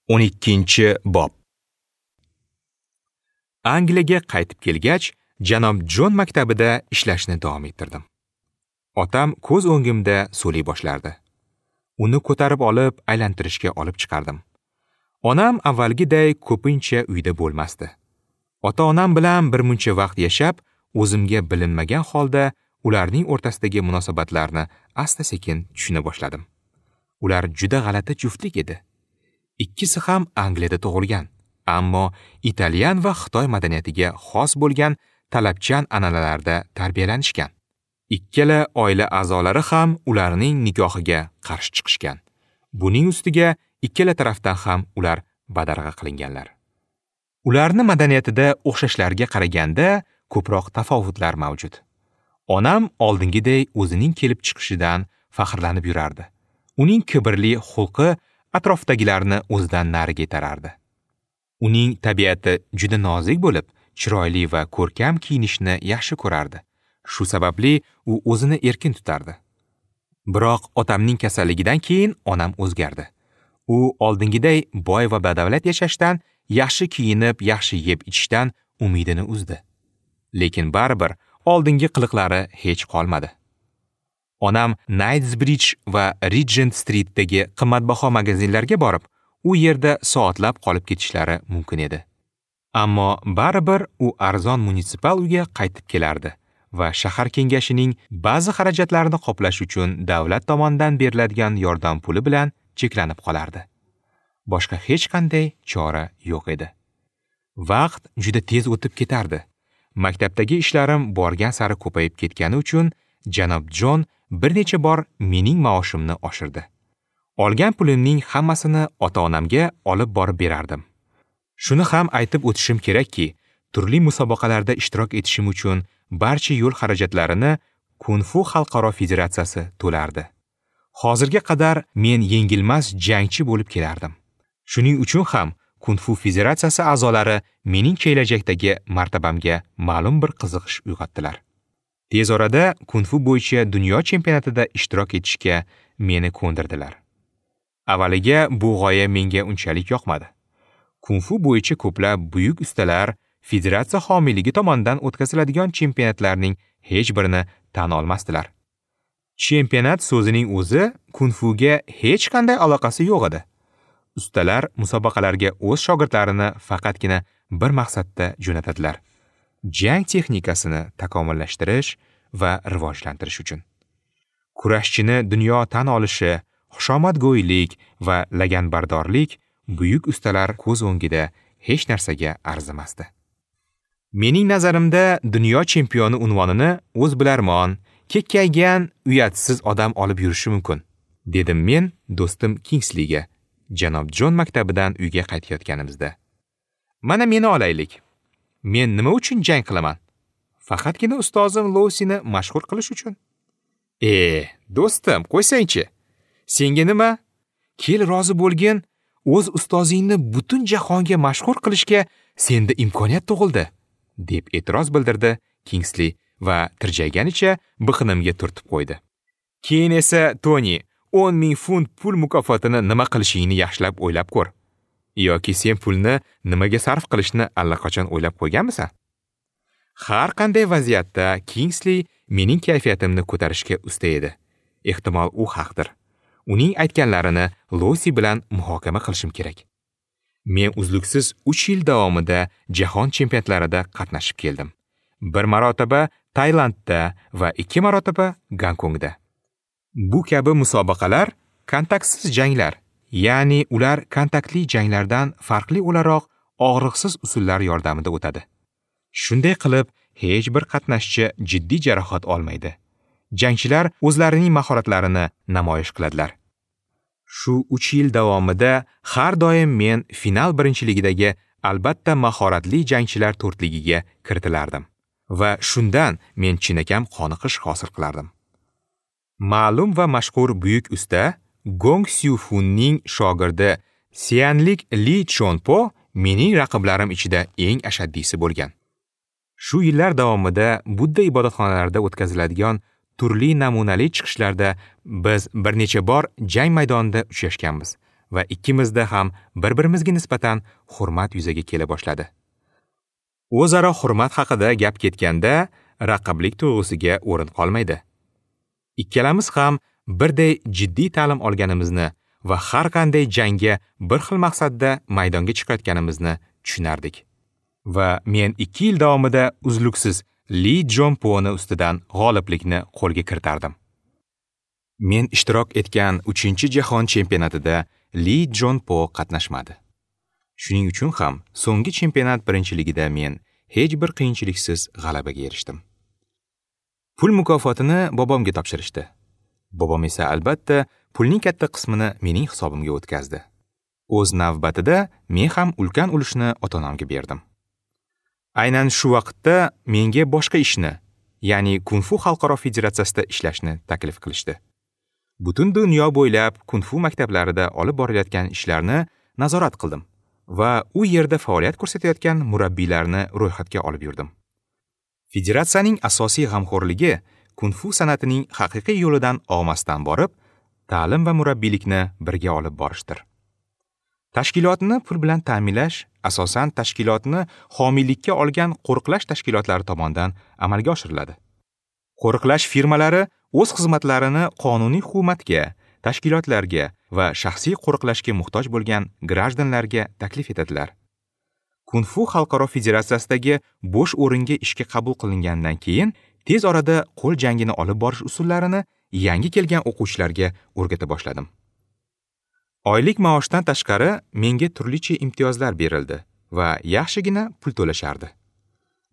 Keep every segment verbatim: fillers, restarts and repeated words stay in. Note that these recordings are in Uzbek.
o'n ikkinchi bob. Angliyaga qaytib kelgach, janob Jon maktabida ishlashni davom ettirdim. Otam ko'z o'ngimda so'lay boshlardi. Uni ko'tarib olib, aylantirishga olib chiqardim. Onam avvalgiday ko'pincha uyda bo'lmasdi. Ota-onam bilan bir muncha vaqt yashab, o'zimga bilinmagan holda ularning o'rtasidagi munosabatlarni asta-sekin tushuna boshladim. Ular juda g'alati juftlik edi. Ikkisi ham Angliyada tug'ilgan, ammo italyan va Xitoy madaniyatiga xos bo'lgan talabchan an'analarda tarbiyalanishgan. Ikkala oila a'zolari ham ularning nikohiga qarshi chiqishgan. Buning ustiga ikkala tarafdan ham ular badarg'a qilinganlar. Ularning madaniyatida o'xshashlarga qaraganda ko'proq tafovutlar mavjud. Onam oldingiday o'zining kelib chiqishidan faxrlanib yurardi. Uning kibrli xulqi atrofdagilarni o'zidan nariga itarardi. Uning tabiati juda nozik bo'lib, chiroyli va ko'rkam kiyinishni yaxshi ko'rardi. Shu sababli u o'zini erkin tutardi. Biroq otamning kasalligidan keyin onam o'zgardi. U oldingiday boy va badavlat yashashdan, yaxshi kiyinib, yaxshi yeb ichishdan umidini uzdi. Lekin baribir oldingi qiliqlari hech qolmadi. Onam Knightsbridge va Regent Streetdagi qimmatbaho magazinlarga borib, u yerda soatlab qolib ketishlari mumkin edi. Ammo baribir u arzon munitsipal uyga qaytib kelardi va shahar kengashining ba'zi xarajatlarini qoplash uchun davlat tomonidan beriladigan yordam puli bilan cheklanib qolardi. Boshqa hech qanday chora yo'q edi. Vaqt juda tez o'tib ketardi. Maktabdagi ishlarim borgan sari ko'payib ketgani uchun janob Jon bir necha bor mening maoshimni oshirdi. Olgan pulimning hammasini ota-onamga olib borib berardim. Shuni ham aytib o'tishim kerakki, turli musobaqalarda ishtirok etishim uchun barcha yo'l xarajatlarini Kung-fu xalqaro federatsiyasi to'lardi. Hozirga qadar men yengilmas jangchi bo'lib kelardim. Shuning uchun ham Kung-fu federatsiyasi a'zolari mening kelajakdagi martabamga ma'lum bir qiziqish uyg'otdilar. Tez orada Kung-fu bo'yicha dunyo chempionatida ishtirok etishga meni ko'ndirdilar. Avvaliga bu g'oya menga unchalik yoqmadi. Kung-fu bo'yicha ko'plab buyuk ustalar federatsiya homiyligi tomonidan o'tkaziladigan chempionatlarning hech birini tan olmasdilar. Chempionat so'zining o'zi kung-fuga hech qanday aloqasi yo'q edi. Ustalar musobaqalarga o'z shogirdlarini faqatgina bir maqsadda jo'natadilar: jang texnikasini takomillashtirish va rivojlantirish uchun. Kurashchini dunyo tan olishi, xushomadgo'ylik va laganbardorlik buyuk ustalar ko'z o'ngida hech narsaga arzimasdi. Mening nazarimda dunyo chempioni unvonini o'z bilarmon, kekkaygan, uyatsiz odam olib yurishi mumkin, dedim men do'stim Kingsliga, janob Jon maktabidan uyga qaytayotganimizda. Mana meni olaylik. Men nima uchun jang qilaman? Faqatgina ustozim Lousini mashhur qilish uchun. E, do'stim, qo'ysangchi. Senga nima? Kel rozi bo'lgin, o'z ustozingni butun jahonga mashhur qilishga senda imkoniyat tug'ildi, deb e'tiroz bildirdi Kingsli va tirjayganicha biqinimga turtib qo'ydi. Keyin esa Toni, o'n ming funt pul mukofotini nima qilishingni yaxshilab o'ylab ko'r. Yoki sen pulni nimaga sarf qilishni allaqachon o'ylab qo'yganmisan? Har qanday vaziyatda Kingsli mening kayfiyatimni ko'tarishga usta edi. Ehtimol u haqdir. Uning aytganlarini Losi bilan muhokama qilishim kerak. Men uzluksiz uch yil davomida jahon chempionatlarida qatnashib keldim. Bir marotaba Tailandda va ikki marotaba Gonkongda. Bu kabi musobaqalar kontaktsiz janglar, ya'ni ular kontaktli janglardan farqli o'laroq og'riqsiz usullar yordamida o'tadi. Shunday qilib, hech bir qatnashchi jiddiy jarohat olmaydi. Jangchilar o'zlarining mahoratlarini namoyish qiladilar. Shu uch yil davomida har doim men final birinchiligidagi albatta mahoratli jangchilar to'rtligiga kiritilardim va shundan men chinakam qoniqish hosil qilardim. Ma'lum va mashhur buyuk usta Gong Siufunning shogirdi Sianlik Li Chonpo mening raqiblarim ichida eng ashaddiysi bo'lgan. Shu yillar davomida Budda ibodatxonalarida o'tkaziladigan turli namunali chiqishlarda biz bir necha bor jang maydonida uchrashganmiz va ikkimizda ham bir-birimizga nisbatan hurmat yuzaga kela boshladi. O'zaro hurmat haqida gap ketganda raqiblik tuyg'usiga o'rin qolmaydi. Ikkalamiz ham birday jiddiy ta'lim olganimizni va har qanday jangga bir xil maqsadda maydonga chiqayotganimizni tushunardik. Va men ikki yil davomida uzluksiz Li Jon Poni ustidan g'oliblikni qo'lga kiritardim. Men ishtirok etgan uchinchi jahon chempionatida Li Jon Po qatnashmadi. Shuning uchun ham so'nggi chempionat birinchiligida men hech bir qiyinchiliksiz g'alabaga erishdim. Pul mukofotini bobomga topshirishdi. Bobom esa albatta pulning katta qismini mening hisobimga o'tkazdi. O'z navbatida men ham ulkan ulushni ota-onamga berdim. Aynan shu vaqtda menga boshqa ishni, ya'ni Kung-fu xalqaro federatsiyasida ishlashni taklif qilishdi. Butun dunyo bo'ylab kung-fu maktablarida olib borilayotgan ishlarni nazorat qildim va u yerda faoliyat ko'rsatayotgan murabbiylarni ro'yxatga olib yurdim. Federatsiyaning asosiy g'amxo'rligi kung-fu san'atining haqiqiy yo'lidan og'masdan borib, ta'lim va murabbiylikni birga olib borishdir. Tashkilotni pul bilan ta'minlash asosan tashkilotni homiylikka olgan qo'riqlash tashkilotlari tomonidan amalga oshiriladi. Qo'riqlash firmalari o'z xizmatlarini qonuniy hukumatga, tashkilotlarga va shaxsiy qo'riqlashga muhtoj bo'lgan grajdanlarga taklif etadilar. Kung-fu xalqaro federatsiyasidagi bo'sh o'ringa ishga qabul qilingandan keyin tez orada qo'l jangini olib borish usullarini yangi kelgan o'quvchilarga o'rgata boshladim. Oylik maoshdan tashqari menga turlicha imtiyozlar berildi va yaxshigina pul to'lashardi.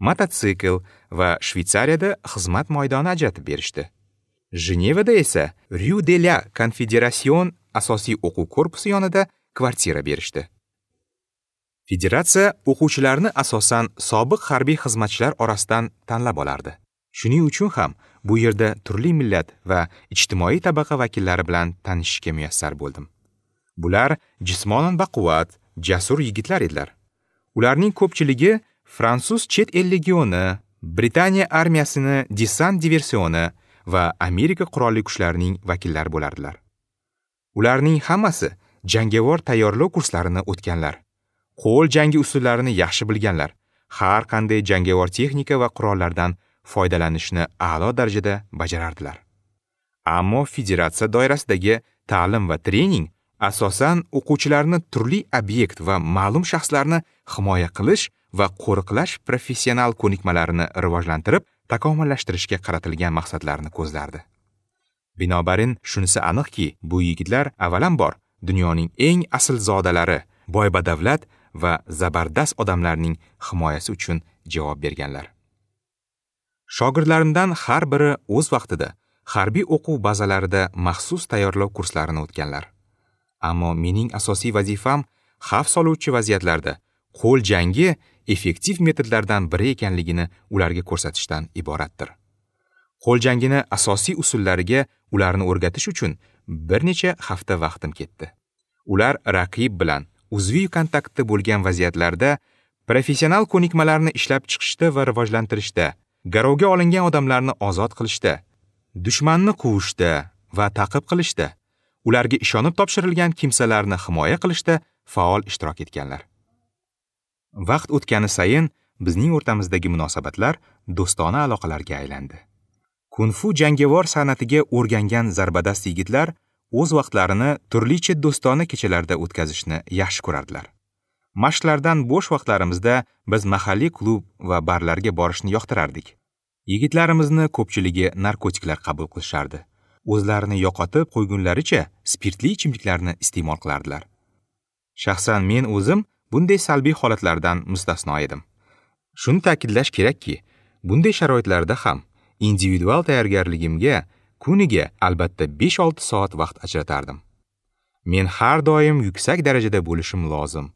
Mototsikl va Shvetsariyada xizmat maydoni ajratib berishdi. Jenevada esa Rue de la Confédération asosiy o'quv korpusi yonida kvartira berishdi. Federatsiya o'quvchilarni asosan sobiq harbiy xizmatchilar orasidan tanlab olardi. Shuning uchun ham bu yerda turli millat va ijtimoiy tabaqa vakillari bilan tanishishga muyassar bo'ldim. Bular jismonan baquvvat, jasur yigitlar edilar. Ularning ko'pchiligi fransuz chet el legioni, Britaniya armiyasini desant diversioni va Amerika qurolli kuchlarining vakillari bo'lardilar. Ularning hammasi jangovar tayyorlov kurslarini o'tganlar, qo'l jangi usullarini yaxshi bilganlar, har qanday jangovar texnika va qurollardan foydalanishni a'lo darajada bajarardilar. Ammo federatsiya doirasidagi ta'lim va trening asosan o'quvchilarni turli obyekt va ma'lum shaxslarni himoya qilish va qo'riqlash professional ko'nikmalarini rivojlantirib, takomillashtirishga qaratilgan maqsadlarni ko'zlardi. Binobarin, shunisi aniqki, bu yigitlar avvalambor dunyoning eng asl zodalari, boy badavlat va zabardast odamlarning himoyasi uchun javob berganlar. Shogirdlarimdan har biri o'z vaqtida harbiy o'quv bazalarida maxsus tayyorlov kurslarini o'tganlar. Ammo mening asosiy vazifam xavf soluvchi vaziyatlarda qo'l jangi effektiv metodlardan biri ekanligini ularga ko'rsatishdan iboratdir. Qo'l jangini asosiy usullariga ularni o'rgatish uchun bir necha hafta vaqtim ketdi. Ular raqib bilan uzviy kontaktda bo'lgan vaziyatlarda professional ko'nikmalarni ishlab chiqishda va rivojlantirishda, garovga olingan odamlarni ozod qilishda, dushmanni quvishda va ta'qib qilishda, ularga ishonib topshirilgan kimsalarni himoya qilishda faol ishtirok etganlar. Vaqt o'tgani sayin bizning o'rtamizdagi munosabatlar do'stona aloqalarga aylandi. Kung-fu jangovar san'atiga o'rgangan zarbadast yigitlar o'z vaqtlarini turlicha do'stona kechalarda o'tkazishni yaxshi ko'rardilar. Mashqlardan bo'sh vaqtlarimizda biz mahalliy klub va barlarga borishni yoqtirardik. Yigitlarimizni ko'pchiligi narkotiklar qabul qilishardi. O'zlarini yo'qotib qo'ygunlaricha spirtli ichimliklarni iste'mol qilardilar. Shaxsan men o'zim bunday salbiy holatlardan mustasno edim. Shuni ta'kidlash kerakki, bunday sharoitlarda ham individual tayyorgarligimga kuniga albatta besh olti soat vaqt ajratardim. Men har doim yuksak darajada bo'lishim lozim.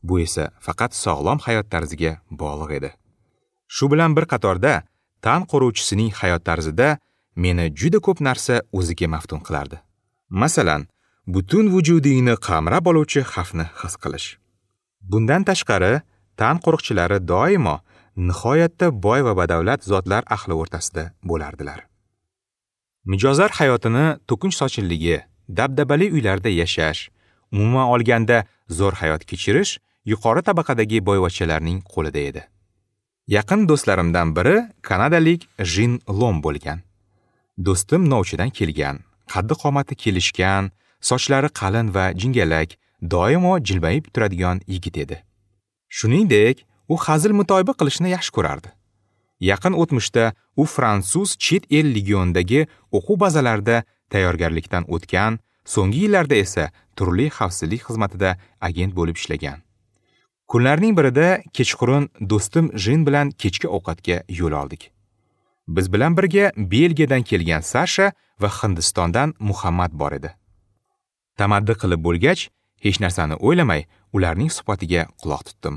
Bu esa faqat sog'lom hayot tarziga bog'liq edi. Shu bilan bir qatorda tan qo'ruvchisining hayot tarzida meni juda ko'p narsa o'ziga maftun qilardi. Masalan, butun vujudingni qamrab oluvchi xavfni his qilish. Bundan tashqari, tan qo'riqchilari doimo nihoyatda boy va badavlat zotlar ahli o'rtasida bo'lardilar. Mijozlar hayotini to'kinch sochinligi, dabdabali uylarda yashash, Umuman olganda zo'r hayot kechirish yuqori tabaqadagi boyvachchalarning qo'lida edi. Yaqin do'stlarimdan biri kanadalik Jin Lom bo'lgan. Do'stim novchadan kelgan, qaddi qomati kelishgan, sochlari qalin va jingalak, doimo jilmayib turadigan yigit edi. Shuningdek, u hazil mutoyiba qilishni yaxshi ko'rardi. Yaqin o'tmishda u fransuz chet el legionidagi o'quv bazalarida tayyorgarlikdan o'tgan, so'nggi yillarda esa turli xavfsizlik xizmatida agent bo'lib ishlagan. Kunlarning birida kechqurun do'stim Jin bilan kechki ovqatga yo'l oldik. Biz bilan birga Belgiyadan kelgan Sasha va Hindistondan Muhammad bor edi. Tamaddi qilib bo'lgach, hech narsani o'ylamay ularning suhbatiga quloq tutdim.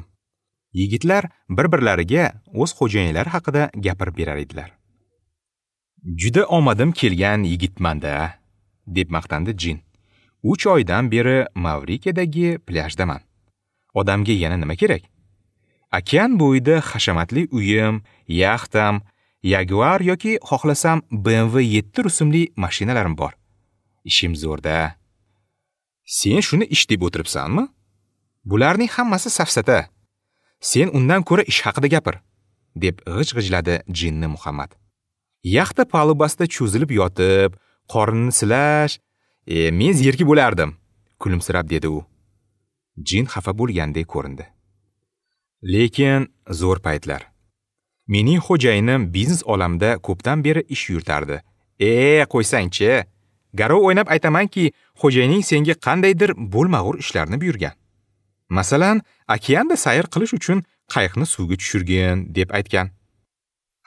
Yigitlar bir-birlariga o'z xo'jayinlari haqida gapirib berar edilar. Juda omadim kelgan yigitman-da, deb maqtandi Jin. Uch oydan beri Mavrikadagi plyajdaman. Odamga yana nima kerak? Okean bo'yida hashamatli uyim, yaxtam, Jaguar yoki xohlasam B M W yetti rusumli mashinalarim bor. Ishim zo'rda. Sen shuni ish deb o'tiribsanmi? Bularning hammasi safsata. Sen undan ko'ra ish haqida gapir, deb g'ij-g'ijladi Jinni Muhammad. Yaxta palubasida cho'zilib yotib, qornini silash, e, men zerikib bo'lardim, kulimsirab dedi u. Jin xafa bo'lgandek ko'rindi. Lekin zo'r paytlar. Mening xo'jayinim biznes olamida ko'pdan beri ish yuritardi. E, qo'ysangchi, garov o'ynab aytamanki, xo'jayining senga qandaydir bo'lmag'ur ishlarni buyurgan. Masalan, okeanda sayr qilish uchun qayiqni suvga tushirgin, deb aytgan.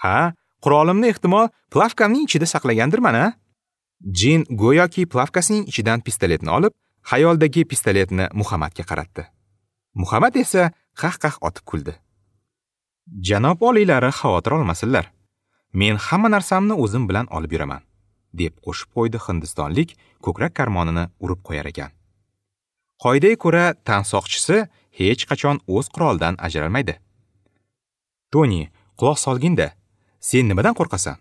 Ha, qurolimni ehtimol plavkamning ichida saqlagandirman, a? Jin go'yoki plavkasining ichidan pistoletni olib, xayolidagi pistoletni Muhammadga qaratdi. Muhammad esa qah-qah otib kuldi. Janob oliylari xavotir olmasinlar. Men hamma narsamni o'zim bilan olib yuraman, deb qo'shib qo'ydi hindistonlik ko'krak karmonini urib qo'yar ekan. Qoidaga ko'ra tansoqchisi hech qachon o'z qurolidan ajralmaydi. Toni, quloq solgin-da, sen nimadan qo'rqasan?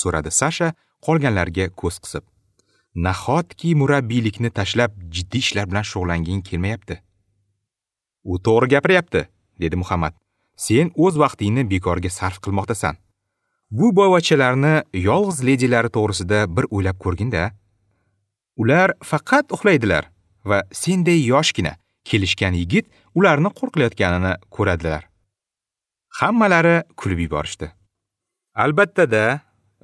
So'radi Sasha qolganlarga ko'z qisib. Nahotki murabbiylikni tashlab jiddiy ishlar bilan shug'ullanging kelmayapti? U to'g'ri gapiryapti, dedi Muhammad. Sen o'z vaqtingni bekorga sarf qilmoqdasan. Bu boyvachchalarni yolg'iz ledilari to'g'risida bir o'ylab ko'rgin-da. Ular faqat uxlaydilar va senday yoshgina kelishgan yigit ularni qo'rqilayotganini ko'radilar. Hammalari kulib yuborishdi. Albatta-da,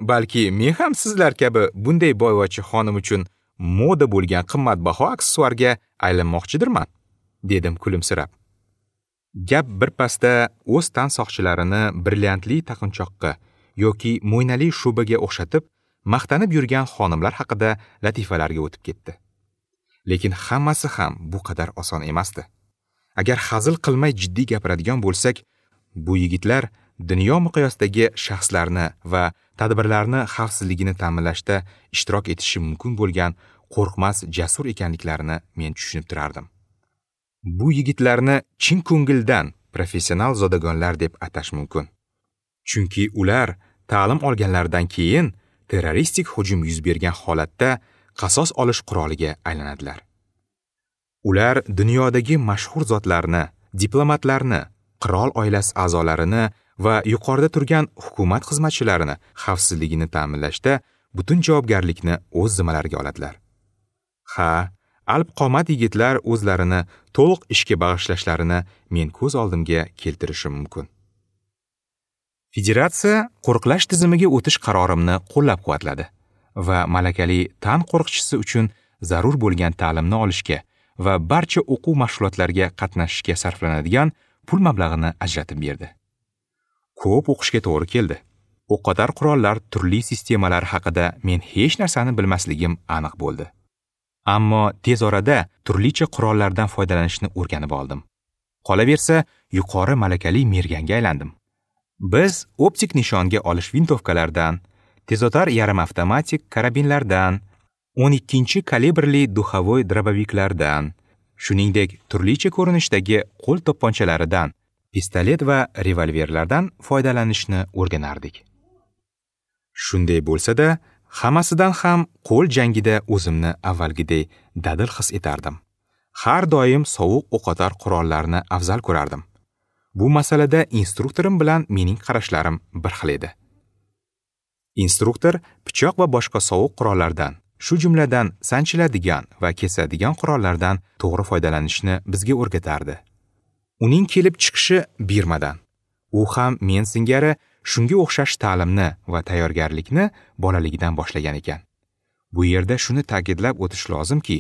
balki men ham sizlar kabi bunday boyvachcha xonim uchun moda bo'lgan qimmatbaho aksessuarga aylanmoqchidirman, dedim kulimsirab. Gap bir pasda o'z tansoqchilarini brilliantli taqinchoqqa yoki mo'ynali shubaga o'xshatib maqtanib yurgan xonimlar haqida latifalarga o'tib ketdi. Lekin hammasi ham bu qadar oson emasdi. Agar hazil qilmay jiddiy gapiradigan bo'lsak, bu yigitlar dunyo miqyosidagi shaxslarni va tadbirlarni xavfsizligini ta'minlashda ishtirok etishi mumkin bo'lgan qo'rqmas jasur ekanliklarini men tushunib turardim. Bu yigitlarni chin ko'ngildan professional zodagonlar deb atash mumkin. Chunki ular ta'lim olganlaridan keyin terroristik hujum yuz bergan holatda qasos olish quroliga aylanadilar. Ular dunyodagi mashhur zotlarni, diplomatlarni, qirol oilasi a'zolarini va yuqorida turgan hukumat xizmatchilarini xavfsizligini ta'minlashda butun javobgarlikni o'z zimmalariga oladilar. Ha, alp qomat yigitlar o'zlarini to'liq ishga bag'ishlashlarini men ko'z oldimga keltirishim mumkin. Federatsiya qo'riqlash tizimiga o'tish qarorimni qo'llab-quvvatladi va malakali tan qo'riqchisi uchun zarur bo'lgan ta'limni olishga va barcha o'quv mashg'ulotlariga qatnashishga sarflanadigan pul mablag'ini ajratib berdi. Ko'p o'qishga to'g'ri keldi. O'qotar qurollar turli sistemalari haqida men hech narsani bilmasligim aniq bo'ldi. Ammo tez orada turlicha qurollardan foydalanishni o'rganib oldim. Qolaversa, yuqori malakali merganga aylandim. Biz optik nishonga olish vintovkalardan, tezotar yarim avtomatik karabinlardan, o'n ikkinchi kalibrli duxovoy droboviklardan, shuningdek turlicha ko'rinishdagi qo'l to'pponchalaridan, pistolet va revolverlardan foydalanishni o'rganardik. Shunday bo'lsa-da, hammasidan ham qo'l jangida o'zimni avvalgiday dadil his etardim Har doim sovuq o'qotar qurollarni afzal ko'rardim. Bu masalada instruktorim bilan mening qarashlarim bir xil edi. Instruktor pichoq va boshqa sovuq qurollardan, shu jumladan sanchiladigan va kesadigan qurollardan to'g'ri foydalanishni bizga o'rgatardi. Uning kelib chiqishi Birmadan. U ham men singari shunga o'xshash ta'limni va tayyorgarlikni bolaligidan boshlagan ekan. Bu yerda shuni ta'kidlab o'tish lozimki,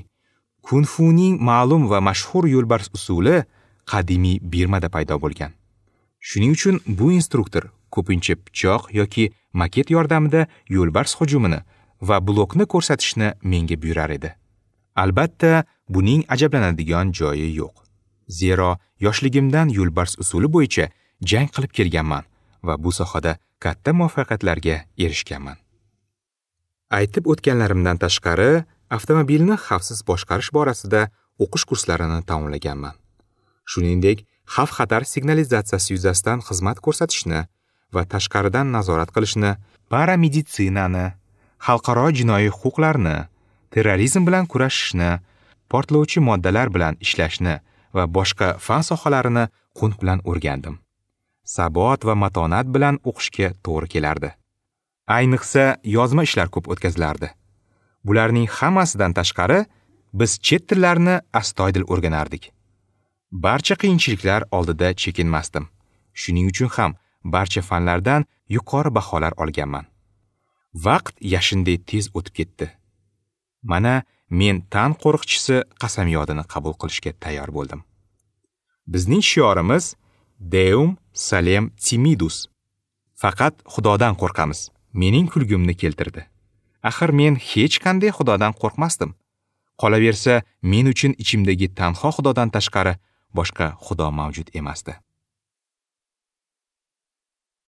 Kung-funing ma'lum va mashhur yo'lbars usuli qadimiy Birmada paydo bo'lgan. Shuning uchun bu instruktor ko'pincha pichoq yoki maket yordamida yo'lbars hujumini va blokni ko'rsatishni menga buyurar edi. Albatta, buning ajablanadigan joyi yo'q. Zero yoshligimdan yo'lbars usuli bo'yicha jang qilib kelganman va bu sohada katta muvaffaqiyatlarga erishganman. Aytib o'tganlarimdan tashqari, avtomobilni xavfsiz boshqarish borasida o'qish kurslarini tamomlaganman. Shuningdek, xavf-xatar signalizatsiyasi yuzasidan xizmat ko'rsatishni va tashqaridan nazorat qilishni, parameditsinani, xalqaro jinoiy huquqlarni, terrorizm bilan kurashishni, portlovchi moddalar bilan ishlashni va boshqa fan sohalarini qunt bilan o'rgandim. Sabot va matonat bilan o'qishga to'g'ri kelardi. Ayniqsa, yozma ishlar ko'p o'tkazilardi. Bularning hammasidan tashqari, biz chet tillarini astoydil o'rganardik. Barcha qiyinchiliklar oldida chekinmasdim. Shuning uchun ham barcha fanlardan yuqori baholar olganman. Vaqt yashindek tez o'tib ketdi. Mana men tan qo'riqchisi qasamyodini qabul qilishga tayyor bo'ldim. Bizning shiorimiz Deum Salem Timidus. Faqat Xudodan qo'rqamiz. Mening kulgimni keltirdi. Axir men hech qanday Xudodan qo'rqmasdim. Qolaversa, men uchun ichimdagi tanho Xudodan tashqari boshqa Xudo mavjud emasdi.